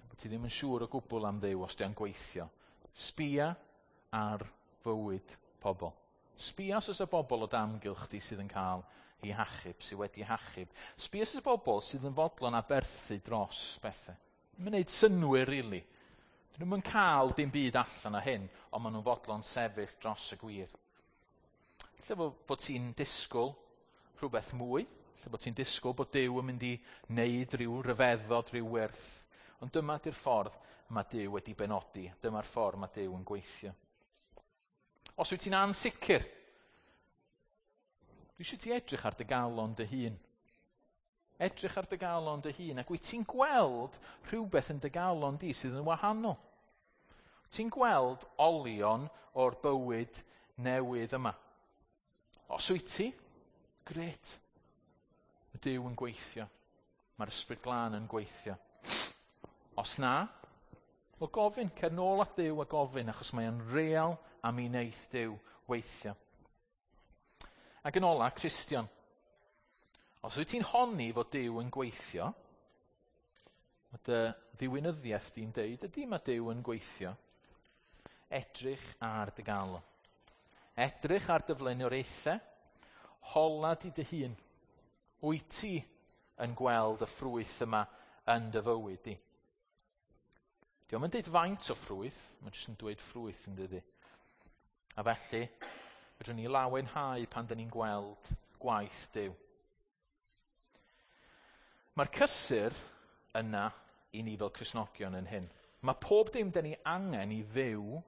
bod ti ddim yn siŵr o gwbl am Dduw os di'n gweithio, sbia ar fywyd pobl. Sbia os oes y bobl o damgylch di sydd yn cael ei hachub, sydd wedi hachub. Sbia os oes y bobl sydd yn fodlon aberthu dros bethau. Mae'n gwneud synnwyr, really. Dyn nhw'n cael dim byd allan o hyn, ond maen nhw'n fodlon sefyll dros y gwir. Lle bod, bod ti'n disgwyl rhywbeth mwy, lle bod ti'n disgwyl bod Duw yn mynd i wneud rhyw ryfeddod, rhyw werth. Ond dyma di'r ffordd mae Duw wedi benodi. Dyma'r ffordd mae Duw yn gweithio. Os wyt ti'n ansicr, dwi eisiau ti edrych ar dy galon dy hun. Edrych ar dy galon dy hun, ac wyt ti'n gweld rhywbeth yn dy galon di sydd yn wahanol. Ti'n gweld olion o'r bywyd newydd yma. Os wyt ti, gret. Mae Duw yn gweithio. Mae'r Ysbryd Glân yn gweithio. Os na, wel gofyn, cer nôl at Duw a gofyn, achos mae o'n real a mi wneith Duw weithio. Ac yn ola, Cristion. Os wyt ti'n honni fod Duw yn gweithio, mae dy ddiwinyddiaeth di'n deud, ydy mae Duw yn gweithio. Edrych ar dy galon. Edrych ar dy flaenoriaethau. Hola di dy hun. Wyt ti yn gweld y ffrwyth yma yn dy fywyd di? Dio'm yn deud faint o ffrwyth, mae'n jyst yn dweud ffrwyth yn dydi. A felly, fedrwn ni lawenhau pan dyn ni'n gweld gwaith Duw. Mae'r cysur yna i ni fel Cristnogion yn hyn. Mae pob dim dyn ni angen i fyw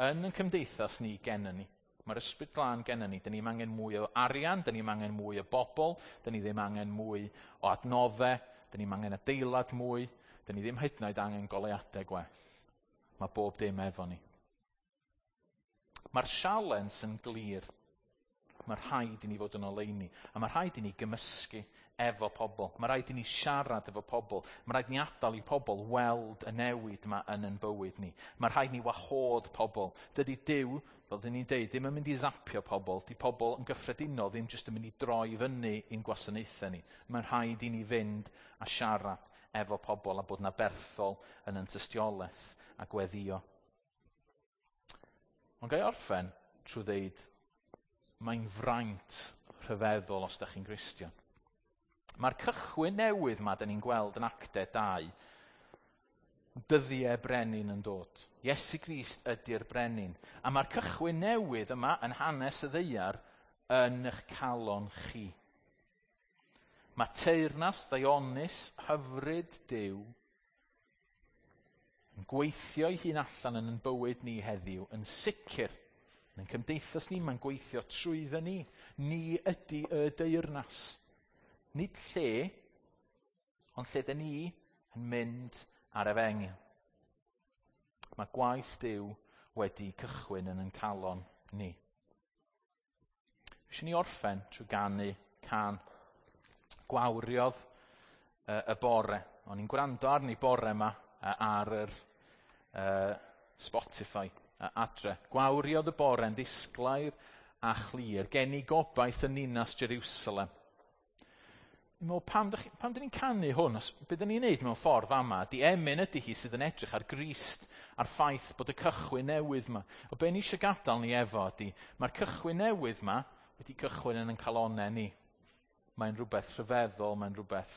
yn ein cymdeithas ni gennym ni. Mae'r Ysbryd Glân gennym ni. Dyn ni'm angen mwy o arian, dyn ni'm angen mwy o bobl, dyn ni ddim angen mwy o adnoddau, dyn ni'm angen adeilad mwy, dyn ni ddim hyd yn oed angen goleuadau gwell. Mae bob dim efo ni. Mae'r sialens yn glir. Mae rhaid i ni fod yn oleuni. A mae rhaid i ni gymysgu efo pobl. Mae rhaid i ni siarad efo pobl. Mae rhaid i ni adael i pobl weld y newid yma yn ein bywyd ni. Mae rhaid i ni wahodd pobl. Dydy Duw Fel dyn ni'n deud, ddim yn mynd i zapio pobl. Di pobl yn gyffredinol ddim jyst yn mynd i droi fyny i'n gwasanaethau ni. Mae'n rhaid i ni fynd a siarad efo pobl a bod yn aberthol yn yn tystiolaeth a gweddio. Ond ga i orffen trwy ddeud, mae'n fraint rhyfeddol os da chi'n Gristion. Mae'r cychwyn newydd yma, da ni'n gweld yn Actau dau, dyddiau brenin yn dod. Iesu Grist ydy'r brenin. A mae'r cychwyn newydd yma yn hanes y ddaear yn eich calon chi. Mae teyrnas ddaionus hyfryd Duw yn gweithio ei hun allan yn ein bywyd ni heddiw, yn sicr, yn ein cymdeithas ni, mae'n gweithio trwyddo ni. Ni ydy y deyrnas. Nid lle, ond lle dyn ni yn mynd ar efengyl. Mae gwaith Duw wedi cychwyn yn ein calon ni. Eisiau ni orffen trwy ganu cân. Gwawriodd y bore. O'n i'n gwrando arni bore yma ar yr uh, Spotify adre. Gwawriodd y bore yn ddisglair a chlir. Gen i gobaith yn ninas Jerusalem. Dwi'n meddwl, pam, pam dyn ni'n canu hwn? Os, be dyn ni'n neud mewn ffordd fama? Di emyn ydy hi sydd yn edrych ar Grist, a'r ffaith bod y cychwyn newydd yma. O be ni eisiau gadael ni efo ydy, mae'r cychwyn newydd yma wedi cychwyn yn ein calonau ni. Mae'n rhywbeth rhyfeddol, mae'n rhywbeth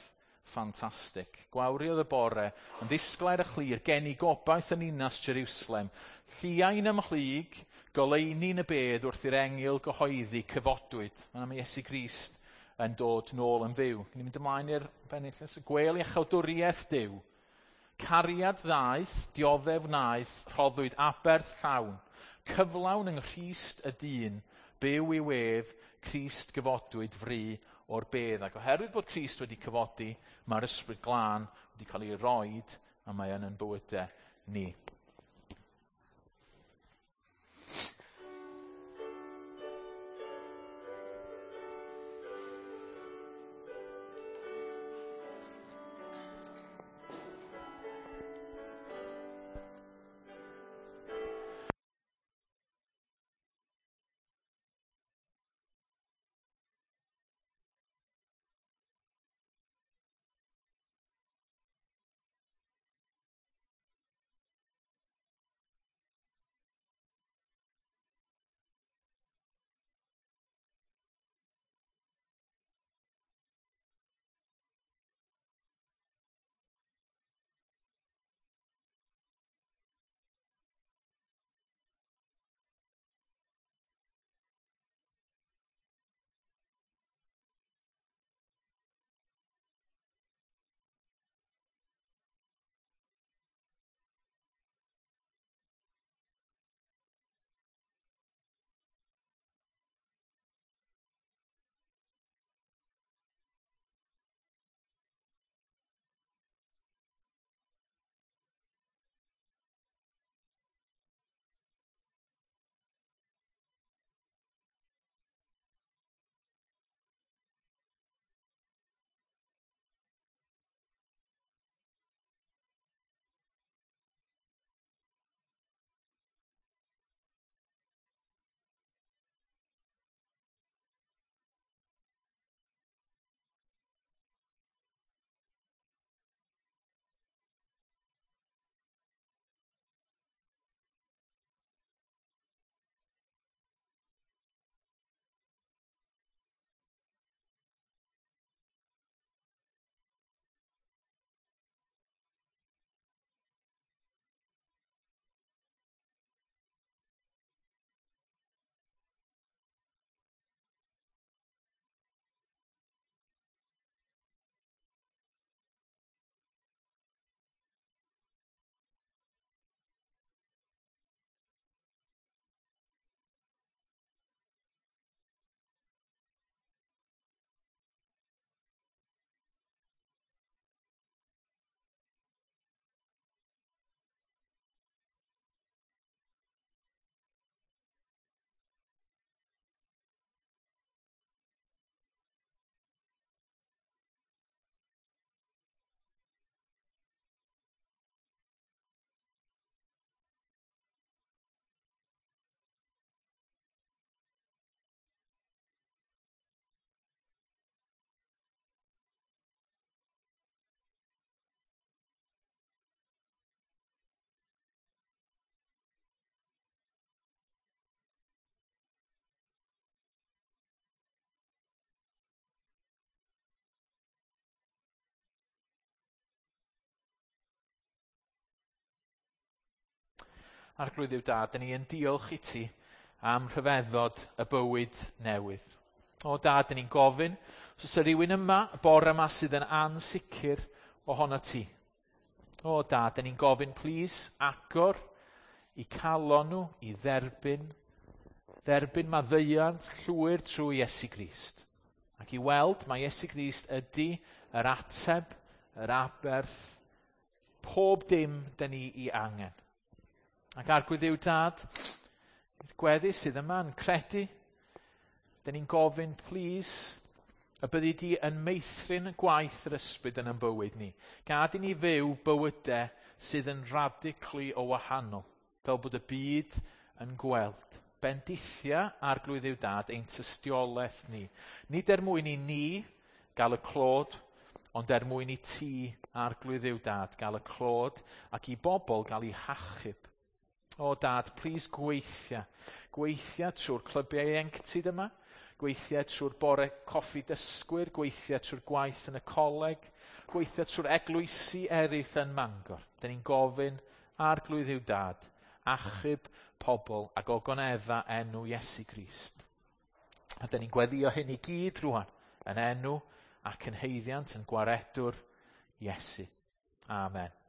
ffantastig. Gwawriodd y bore, yn ddisglair a chlir, gen i gobaith yn ninas Jerusalem. Lliain ymhlyg, goleuni'n y bedd wrth i'r engyl gyhoeddi cyfodwyd. Mae'n am Iesu Grist yn dod nôl yn fyw. Ni'n mynd ymlaen i'r bennill. Gwel iachawdwriaeth Duw. Cariad ddaeth, dioddef wnaeth, rhoddwyd aberth llawn. Cyflawn yng Nghrist y dyn, byw i'w ef, Crist gyfodwyd fri o'r bedd. Ac oherwydd bod Crist wedi cyfodi, mae'r Ysbryd Glân wedi cael ei roid, a mae yn yn bywydau ni. Arglwydd Dduw Dad, dyn ni yn diolch i ti am rhyfeddod y bywyd newydd. O Dad, dyn ni'n gofyn, os oes rhywun yma, y bore yma sydd yn ansicr ohono ti. O Dad, dyn ni'n gofyn, plîs, agor eu calon nhw i dderbyn, dderbyn maddeuant llwyr trwy Iesu Grist. Ac i weld mae Iesu Grist ydy yr ateb, yr aberth, pob dim dyn ni ei angen. Ac Arglwydd Dduw Dad, i'r gweddill sydd yma yn credu, dyn ni'n gofyn, plîs, y byddi di yn meithrin gwaith yr Ysbryd yn ein bywyd ni. Gad i ni fyw bywydau sydd yn radically o wahanol, fel bod y byd yn gweld. Bendithia, Arglwydd Dduw Dad, ein tystiolaeth ni. Nid er mwyn i ni gael y clod, ond er mwyn i ti, Arglwydd Dduw Dad, gael y clod ac i bobl gael eu hachub. O Dad, plîs gweithia. Gweithia trwy'r clybiau ieuenctid yma, gweithia trwy'r bore coffi dysgwyr, gweithia trwy'r gwaith yn y coleg, gweithia trwy'r eglwysi eraill yn Mangor. Dyn ni'n gofyn, Arglwydd Dduw Dad, achub pobl ac ogonedda enw Iesu Grist. A dyn ni'n gweddio hyn i gyd rwan, yn enw ac yn haeddiant yn gwaredwr Iesu. Amen.